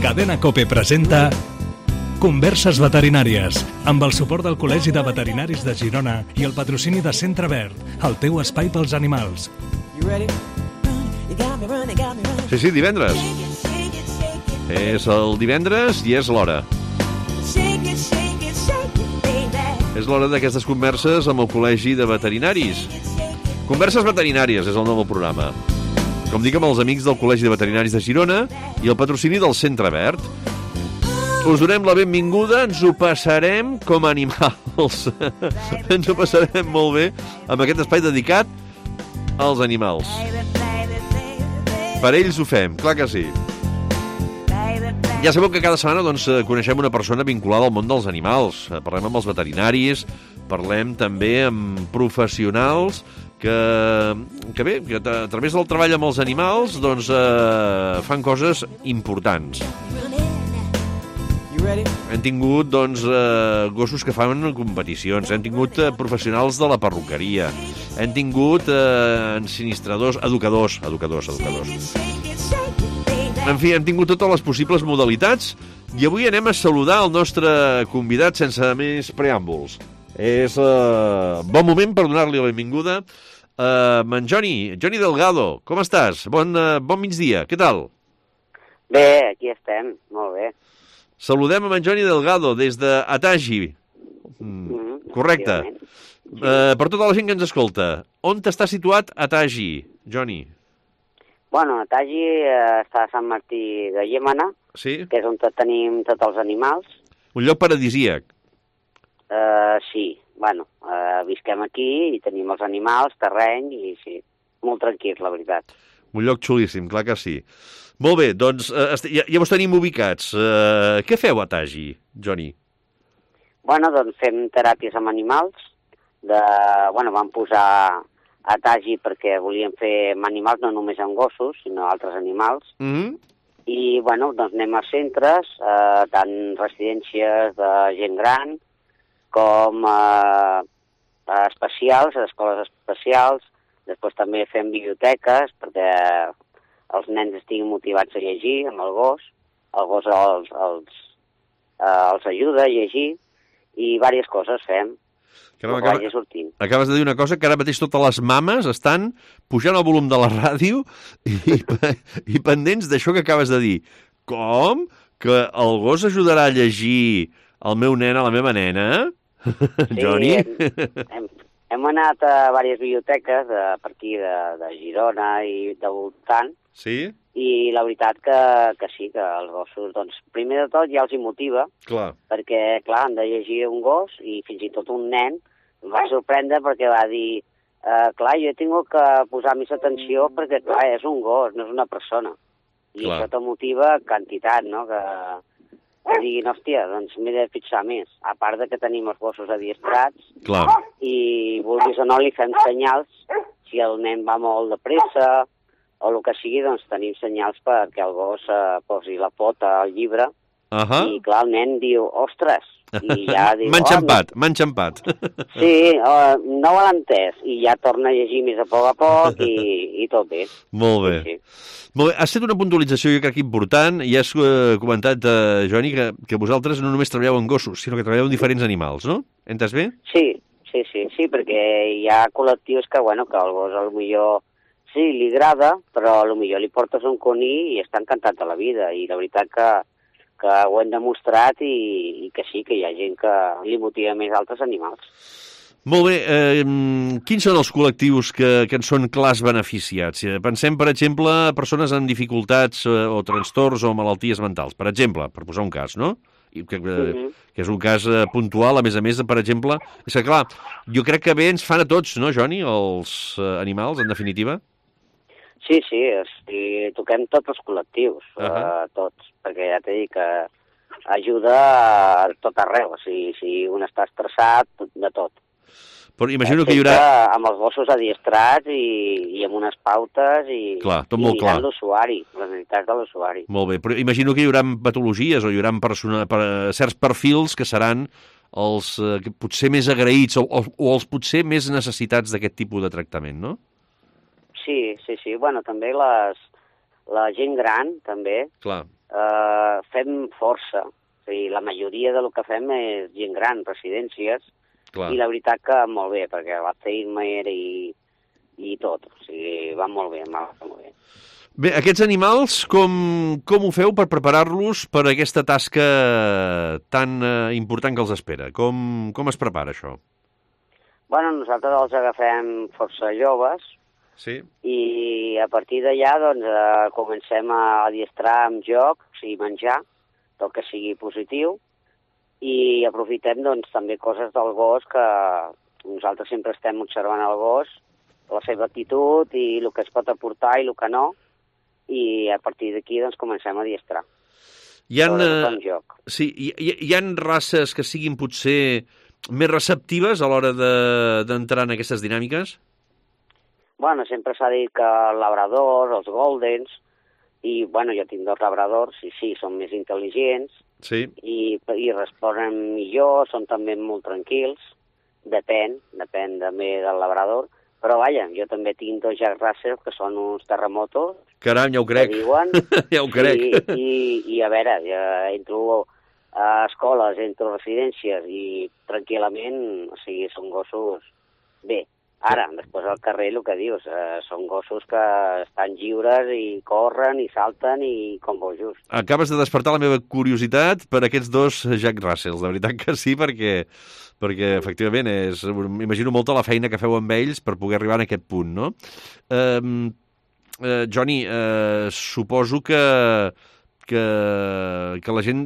Cadena COPE presenta Converses veterinàries, amb el suport del Col·legi de Veterinaris de Girona i el patrocini de Centre Verd, el teu espai pels animals. Sí, divendres. És el divendres i és l'hora. És l'hora d'aquestes converses amb el Col·legi de Veterinaris. Converses veterinàries és el nom del programa. Com dic, amb els amics del Col·legi de Veterinaris de Girona i el patrocini del Centre Verd. Us donem la benvinguda, ens ho passarem com a animals. Ens ho passarem molt bé amb aquest espai dedicat als animals. Per ells ho fem, clar que sí. Ja sabeu que cada setmana coneixem una persona vinculada al món dels animals. Parlem amb els veterinaris, parlem també amb professionals que a través del treball amb els animals fan coses importants. Hem tingut gossos que fan competicions, hem tingut professionals de la perruqueria, hem tingut ensinistradors, educadors. En fi, hem tingut totes les possibles modalitats i avui anem a saludar el nostre convidat sense més preàmbuls. És bon moment per donar-li la benvinguda a en Joni Delgado. Com estàs? Bon migdia, què tal? Bé, aquí estem, molt bé. Saludem a en Joni Delgado des d'Atagi. Correcte. Per tota la gent que ens escolta, on està situat Atagi, Joni? Bueno, Atagi està a Sant Martí de Llémena, sí? Que és on tenim tots els animals. Un lloc paradisíac. Sí, bueno, visquem aquí i tenim els animals, terreny, i sí, molt tranquil, la veritat. Un lloc xulíssim, clar que sí. Molt bé, doncs ja vos tenim ubicats. Què feu a Atagi, Joni? Bueno, doncs fem teràpies amb animals. Vam posar Atagi perquè volíem fer amb animals, no només amb gossos, sinó altres animals. I, doncs anem a centres, tant residències de gent gran, com especials, escoles especials. Després també fem biblioteques, perquè els nens estiguin motivats a llegir amb el gos. El gos els ajuda a llegir i diverses coses fem. Acabes de dir una cosa, que ara mateix totes les mames estan pujant el volum de la ràdio i pendents d'això que acabes de dir. Com? Que el gos ajudarà a llegir el meu nen a la meva nena? Sí, Joni? Hem anat a diverses biblioteques per aquí de Girona i de voltant. Sí? I la veritat que sí, que els gossos, primer de tot ja els hi motiva. Clar. Perquè, clar, han de llegir un gos i fins i tot un nen em va sorprendre perquè va dir clar, jo he tingut que posar més atenció perquè, clar, és un gos, no és una persona. I clar, això te motiva quantitat, no?, que diguin, hòstia, doncs m'he de fixar més. A part de que tenim els gossos adiestrats, clar, i vulguis o no li fem senyals, si el nen va molt de pressa o el que sigui, doncs tenim senyals perquè el gos posi la pota al llibre. I clar, el nen diu, ostres, i ja diu... M'ha enxampat. Sí, no ho l'ha entès, i ja torna a llegir més a poc i tot bé. Molt bé. Sí. Molt bé. Has fet una puntualització, jo crec, important, i has comentat, Joni, que vosaltres no només treballeu amb gossos, sinó que treballeu amb diferents animals, no? Entès bé? Sí, perquè hi ha col·lectius que el gos potser sí, li agrada, però potser li portes un coní i està encantat de la vida, i la veritat que ho hem demostrat i que sí, que hi ha gent que li motiva més altres animals. Molt bé. Quins són els col·lectius que en són clars beneficiats? Pensem, per exemple, persones amb dificultats o trastorns o malalties mentals, per exemple, per posar un cas, no? Que és un cas puntual, a més, per exemple. És que, clar, jo crec que bé ens fan a tots, no, Joni, els animals, en definitiva? Sí, toquem tots els col·lectius, tots, perquè ja t'he dit que ajuda a tot arreu, si un està estressat, de tot. Però imagino que hi haurà... Amb els gossos adiestrats i amb unes pautes i mirant l'usuari, les necessitats de l'usuari. Molt bé, però imagino que hi haurà patologies o hi haurà certs perfils que seran els potser més agraïts o els potser més necessitats d'aquest tipus de tractament, no? Sí. Bueno, també les la gent gran, també, Clar. fem força. O sigui, la majoria del que fem és gent gran, residències, Clar. i la veritat que molt bé, perquè l'Alzheimer i tot. O sigui, va molt bé, va molt bé. Bé, aquests animals, com ho feu per preparar-los per aquesta tasca tan important que els espera? Com es prepara això? Bueno, nosaltres els agafem força joves, Sí. i a partir d'allà doncs, comencem a adiestrar amb jocs i menjar, tot que sigui positiu, i aprofitem doncs, també coses del gos que nosaltres sempre estem observant el gos, la seva actitud i el que es pot aportar i el que no, i a partir d'aquí doncs, comencem a adiestrar. Hi ha, Sobretot amb joc. sí, hi ha races que siguin potser més receptives a l'hora d'entrar en aquestes dinàmiques? Bueno, sempre s'ha dit que el labrador, els goldens, i bueno, jo tinc 2 labradors, i sí, són més intel·ligents, Sí. i responen millor, són també molt tranquils, depèn també del labrador, però vaja, jo també tinc 2 Jack Russell que són uns terremotos, Caram, ja ho crec. que diuen, Ja ho crec. i a veure, ja entro a escoles, entro a residències i tranquil·lament, o sigui, són gossos bé. Ara, després al carrer, el que dius, són gossos que estan lliures i corren i salten i com bojos. Acabes de despertar la meva curiositat per aquests 2 Jack Russells. De veritat que sí, perquè efectivament m'imagino molta la feina que feu amb ells per poder arribar a aquest punt, no? Johnny, suposo que la gent...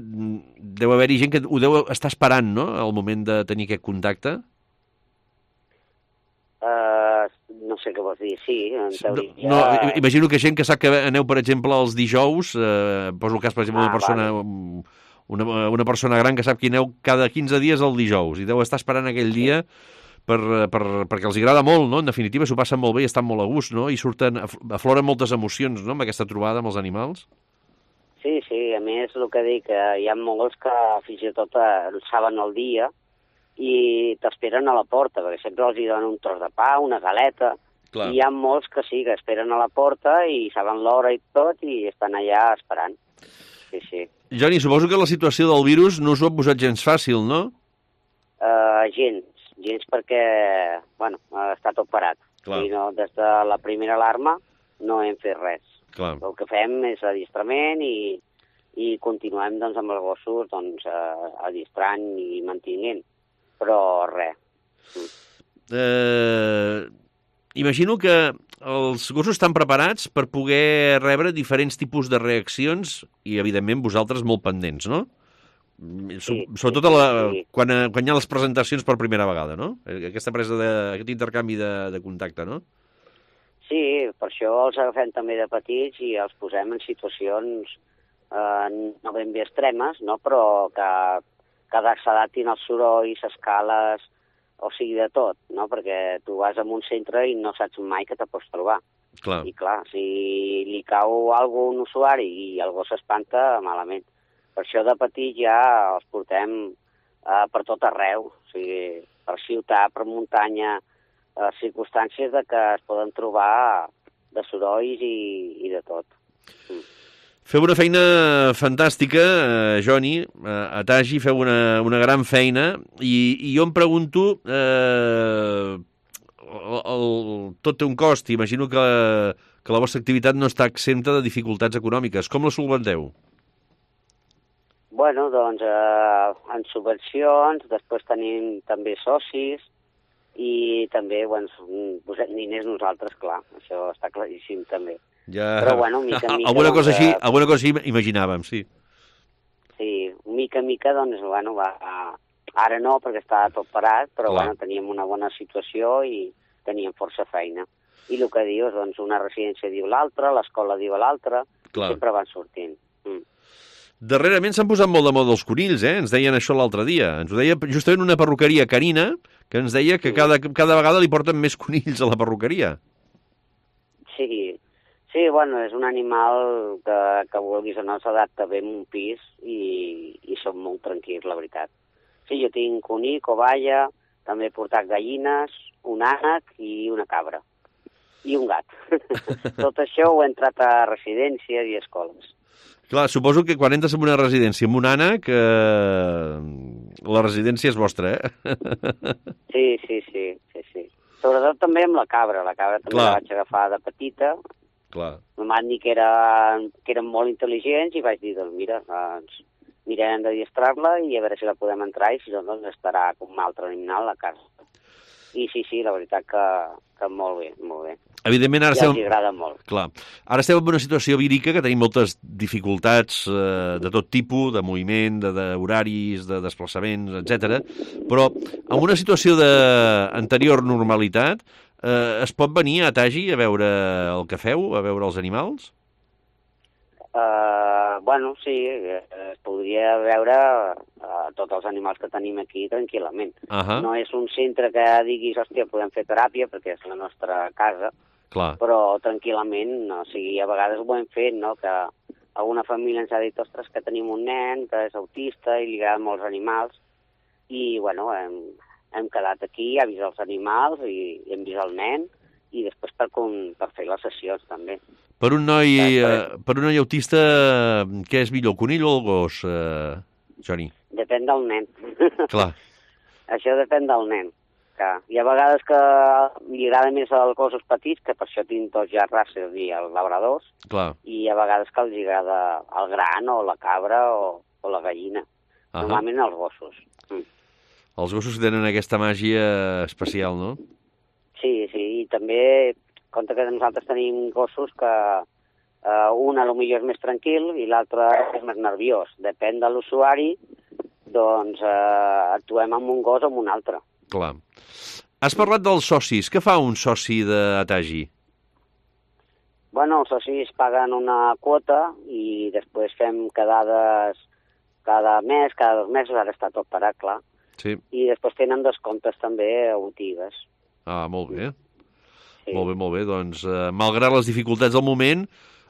Deu haver-hi gent que ho deu estar esperant, no?, al moment de tenir aquest contacte. No sé què vols dir, sí, en teoria... No, imagino que gent que sap que aneu, per exemple, els dijous, poso el cas, per exemple, una persona gran que sap que aneu cada 15 dies el dijous i deu estar esperant aquell dia perquè els agrada molt, no? En definitiva, s'ho passen molt bé i estan molt a gust, no? I afloren moltes emocions, no?, amb aquesta trobada amb els animals. Sí, a més, el que dic, hi ha molts que fins i tot saben el dia i t'esperen a la porta, perquè sempre els donen un tros de pa, una galeta, Clar. I hi ha molts que sí, que esperen a la porta i saben l'hora i tot i estan allà esperant. Sí. Johnny, suposo que la situació del virus no us ho ha posat gens fàcil, no? Gens perquè, bueno, està tot parat. Clar. I no, des de la primera alarma no hem fet res. Clar. El que fem és adiestrament i continuem doncs, amb els gossos doncs, adiestrant i mantenint, però res. Imagino que els gossos estan preparats per poder rebre diferents tipus de reaccions i, evidentment, vosaltres molt pendents, no? Sí, Sobretot sí. Quan hi ha les presentacions per primera vegada, no? Aquest intercanvi de contacte, no? Sí, per això els agafem també de petits i els posem en situacions no ben bé extremes, no? Però que s'adaptin als sorolls, escales, o sigui, de tot, no? Perquè tu vas a un centre i no saps mai que te pots trobar. Clar. I clar, si li cau alguna a un usuari i el gos s'espanta, malament. Per això de petit ja els portem per tot arreu, o sigui, per ciutat, per muntanya, circumstàncies de que es poden trobar de sorolls i de tot. Feu una feina fantàstica, Johnny, a Tagi feu una gran feina i jo em pregunto, tot té un cost, imagino que la vostra activitat no està exempta de dificultats econòmiques. Com la solventeu? Bueno, doncs, en subvencions, després tenim també socis i també, bueno, posem diners nosaltres, clar, això està claríssim també. Ja... Però, bueno, mica en mica... Alguna cosa així imaginàvem, sí. Sí, mica en mica, doncs, bueno, ara no, perquè està tot parat, però, Clar. bueno, teníem una bona situació i teníem força feina. I el que dius, doncs, una residència diu l'altra, l'escola diu l'altra, sempre van sortint. Darrerament s'han posat molt de moda els conills, ens deien això l'altre dia. Ens ho deia justament una perruqueria canina, que ens deia que cada vegada li porten més conills a la perruqueria. Sí, bueno, és un animal que vulguis o no s'adapta bé en un pis i som molt tranquils, la veritat. Sí, jo tinc conill, covalla, també he portat gallines, un ànec i una cabra. i un gat. Tot això ho he entrat a residències i escoles. Clar, suposo que quan entres en una residència amb un ànec, la residència és vostra, Sí. Sobretot també amb la cabra. La cabra també Clar. la vaig agafar de petita. Clar. Em van dir que eren molt intel·ligents i vaig dir, doncs mira, mirarem d'adiestrar-la i a veure si la podem entrar i si no, doncs estarà com un altre animal a la casa. I sí, la veritat que molt bé, molt bé. Evidentment, ara I els agrada molt. Clar. Ara estem en una situació vírica que tenim moltes dificultats de tot tipus, de moviment, d'horaris, de desplaçaments, etc. Però en una situació d'anterior normalitat es pot venir a Tagi a veure el que feu, a veure els animals? Bueno, sí, es podria veure tots els animals que tenim aquí tranquil·lament. No és un centre que diguis, hòstia, podem fer teràpia perquè és la nostra casa, Clar. però tranquil·lament, o sigui, a vegades ho hem fet, no?, que alguna família ens ha dit, ostres, que tenim un nen que és autista i li agraden molts animals, i, bueno, hem quedat aquí, ha vist els animals i hem vist el nen, i després per fer les sessions, també. Per un noi autista, què és millor, conill o el gos, Joni? Depèn del nen. Clar. Això depèn del nen. Hi ha vegades que li agrada més els gossos petits, que per això tinc dos ja races i els labradors, Clar. i hi ha vegades que els agrada el gran o la cabra o la gallina. Normalment els gossos. Els gossos tenen aquesta màgia especial, no? Sí, i també compte que nosaltres tenim gossos que un potser és més tranquil i l'altre és més nerviós. Depèn de l'usuari, doncs actuem amb un gos o amb un altre. Clar. Has parlat dels socis. Què fa un soci d'Atagi? Bueno, els socis paguen una quota i després fem quedades cada mes, cada 2 mesos, ara està tot parat, clar. Sí. I després tenen descomptes també a botigues. Ah, molt bé. Sí. Molt bé. Doncs, malgrat les dificultats del moment,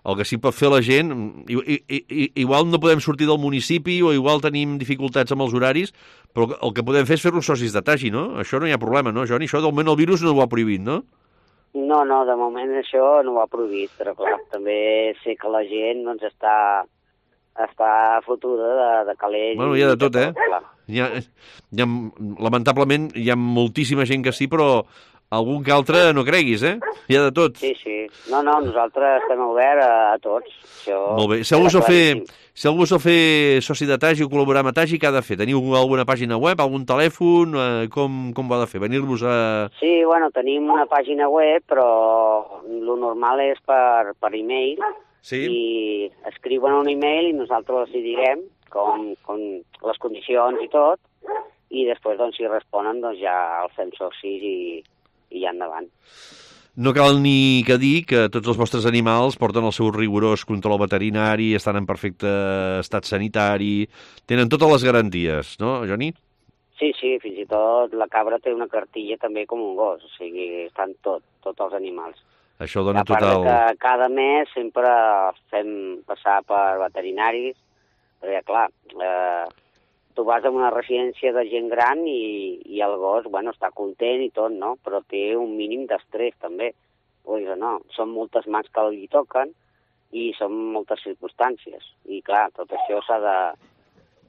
el que sí pot fer la gent... Igual no podem sortir del municipi o igual tenim dificultats amb els horaris, però el que podem fer és fer-nos socis d'Atagi, no? Això no hi ha problema, no, Joni? Això, del moment, el virus no ho ha prohibit, no? No, de moment això no ho ha prohibit, però clar, també sé que la gent doncs, està fotuda de calés. Bueno, hi ha de tot, lamentablement hi ha moltíssima gent que sí, però algun que altre no creguis, Hi ha de tot. Sí. No, nosaltres estem oberts a tots. Això molt bé. Si algú vol fer soci d'Atagi o col·laborar amb Atagi, què ha de fer? Teniu alguna pàgina web, algun telèfon? Com ho ha de fer? Venir-vos a... Sí, bueno, tenim una pàgina web, però lo normal és per e-mail. Sí? I escriuen un e-mail i nosaltres els hi diguem com les condicions i tot, i després, doncs, si responen, doncs ja els fem socis i ja endavant. No cal ni que dir que tots els vostres animals porten el seu rigorós control veterinari, estan en perfecte estat sanitari, tenen totes les garanties, no, Joni? Sí, fins i tot la cabra té una cartilla també com un gos, o sigui, estan tots els animals. Això dona a part total... que cada mes sempre fem passar per veterinaris, perquè, clar, tu vas a una residència de gent gran i el gos, bueno, està content i tot, no? Però té un mínim d'estrès, també. Vull dir, no, són moltes mans que li toquen i són moltes circumstàncies. I, clar, tot això s'ha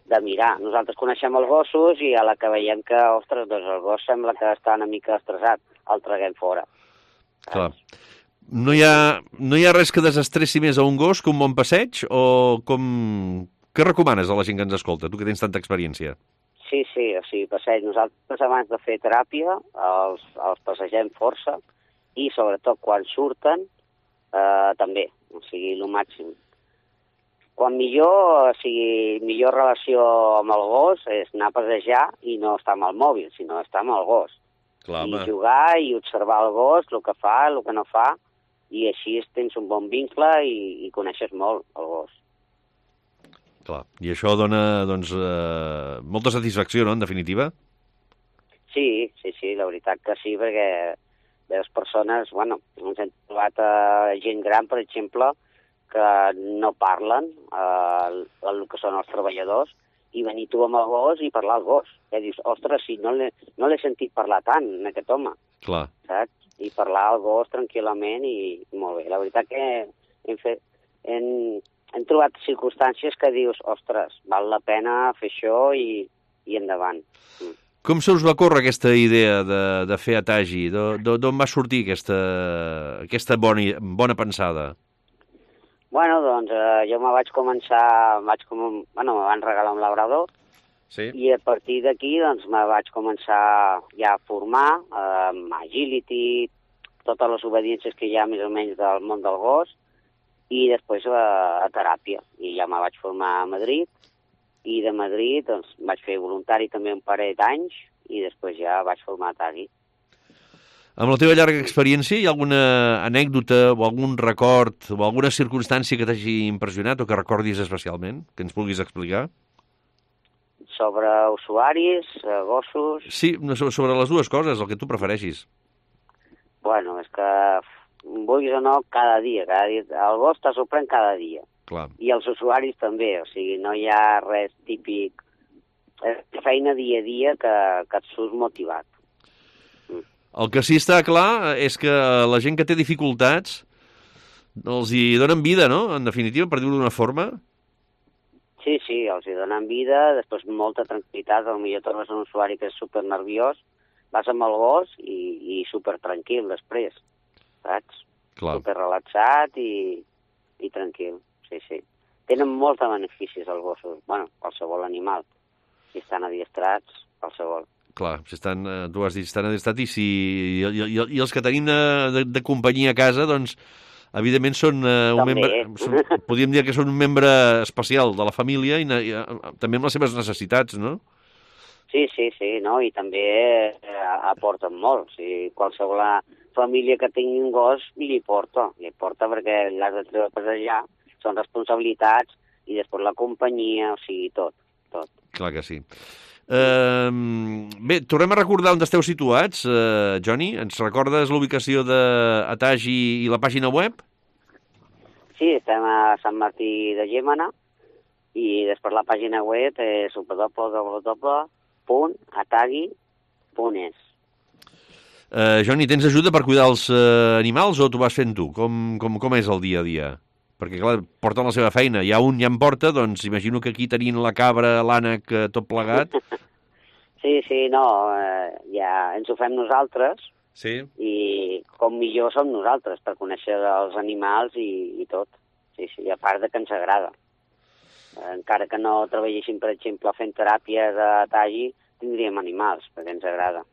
de mirar. Nosaltres coneixem els gossos i a la que veiem que, ostres, doncs el gos sembla que està una mica estressat, el traguem fora. Clar. No hi ha res que desestressi més a un gos que un bon passeig o com... Què recomanes a la gent que ens escolta, tu que tens tanta experiència? Sí, o sigui, passeig. Nosaltres abans de fer teràpia els passegem força i sobretot quan surten també, o sigui, el màxim. Quan millor, o sigui, millor relació amb el gos és anar a passejar i no estar amb el mòbil, sinó estar amb el gos. Clar, i jugar i observar el gos, el que fa, el que no fa, i així tens un bon vincle i coneixes molt el gos. Clar, i això dona, doncs, molta satisfacció, no?, en definitiva? Sí, la veritat que sí, perquè les persones, bueno, ens hem trobat gent gran, per exemple, que no parlen el que són els treballadors, i venir tu amb el gos i parlar al gos. I dius, ostres, si no l'he sentit parlar tant, aquest home. Clar. Saps? i parlar al gos tranquil·lament i molt bé. La veritat que hem trobat circumstàncies que dius, ostres, val la pena fer això i endavant. Com se us va córrer aquesta idea de fer Atagi? D'on va sortir aquesta bona pensada? Bueno, doncs jo me vaig començar, me van regalar un labrador, sí. I a partir d'aquí doncs me vaig començar ja a formar amb agility, totes les obediències que hi ha més o menys del món del gos, i després a teràpia. I ja me vaig formar a Madrid, i de Madrid doncs, vaig fer voluntari també un parell d'anys, i després ja vaig formar a Atagi. Amb la teva llarga experiència, hi ha alguna anècdota o algun record o alguna circumstància que t'hagi impressionat o que recordis especialment, que ens vulguis explicar? Sobre usuaris, gossos... Sí, sobre les dues coses, el que tu prefereixis. Bueno, és que, vulguis o no, cada dia. El gos te sorprèn cada dia. Clar. I els usuaris també, o sigui, no hi ha res típic. És feina dia a dia que et surt motivat. El que sí està clar és que la gent que té dificultats els hi donen vida, no?, en definitiva, per dir-ho d'una forma. Sí, els hi donen vida, després molta tranquil·litat. Potser trobes un usuari que és supernerviós, vas amb el gos i supertranquil després, saps? Clar. Superrelaxat i tranquil, sí. Tenen molts de beneficis els gossos, bueno, qualsevol animal. Si estan adiestrats, qualsevol. Clar, si estan, tu has dit, estan adiestrats i els que tenim de companyia a casa, doncs, evidentment són podríem dir que són un membre especial de la família i també amb les seves necessitats, no? Sí, no? I també aporten molt. O sigui, qualsevol família que tingui un gos li porta perquè l'has de treure a passejar, són responsabilitats i després la companyia, o sigui, tot. Clar que sí. Bé, tornem a recordar on esteu situats, Joni. Ens recordes l'ubicació d'Atagi i la pàgina web? Sí, estem a Sant Martí de Llémena i després la pàgina web és www.atagi.es. Joni, tens ajuda per cuidar els animals o t'ho vas fent tu? Com és el dia a dia? Perquè, clar, porten la seva feina. Hi ha un ja en porta, doncs imagino que aquí tenint la cabra, l'ànec, tot plegat. Sí, no, ja ens ho fem nosaltres. Sí. I com millor som nosaltres per conèixer els animals i tot. Sí, a part de que ens agrada. Encara que no treballéssim, per exemple, fent teràpies a Atagi, tindríem animals, perquè ens agrada.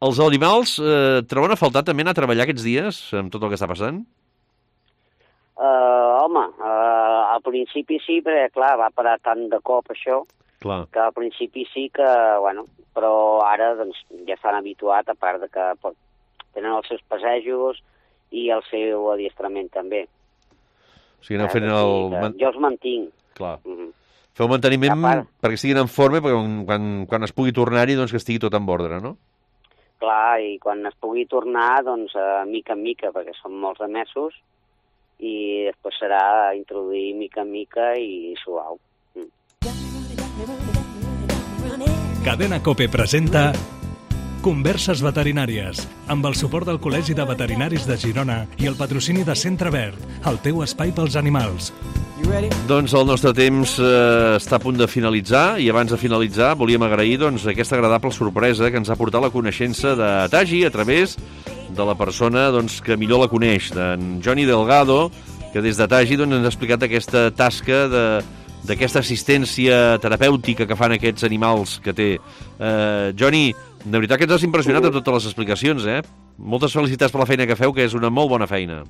Els animals troben a faltar també anar a treballar aquests dies amb tot el que està passant? Al principi sí, perquè, clar, va parar tant de cop això, clar, que al principi sí que, bueno, però ara doncs, ja estan habituats, a part de que tenen els seus passejos i el seu adiestrament també. O sigui, aneu fent jo els mantinc. Clar. Feu manteniment perquè estiguin en forma, perquè quan es pugui tornar-hi, doncs que estigui tot en ordre, no? Clar, i quan es pugui tornar, doncs, mica en mica, perquè són molts de mesos, i després serà introduir mica en mica i suau. Cadena COPE presenta Converses veterinàries, amb el suport del Col·legi de Veterinaris de Girona i el patrocini de Centre Verd, el teu espai pels animals. Doncs el nostre temps està a punt de finalitzar i abans de finalitzar volíem agrair aquesta agradable sorpresa que ens ha portat la coneixença d'Atagi a través de la persona que millor la coneix, d'en Joni Delgado, que des d'Atagi ens ha explicat aquesta tasca d'aquesta assistència terapèutica que fan aquests animals que té. Joni, de veritat que ens has impressionat amb totes les explicacions, Moltes felicitats per la feina que feu, que és una molt bona feina.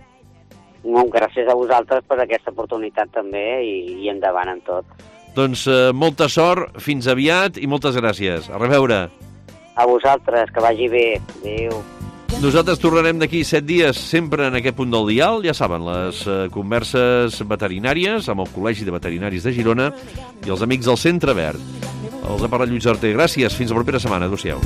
Gràcies a vosaltres per aquesta oportunitat també i endavant en tot. Doncs molta sort, fins aviat i moltes gràcies. A reveure. A vosaltres, que vagi bé. Adéu. Nosaltres tornarem d'aquí 7 dies, sempre en aquest punt del dial. Ja saben, les converses veterinàries amb el Col·legi de Veterinaris de Girona i els amics del Centre Verd. Els ha parlat Lluís Arter. Gràcies, fins la propera setmana. Adéu-siau.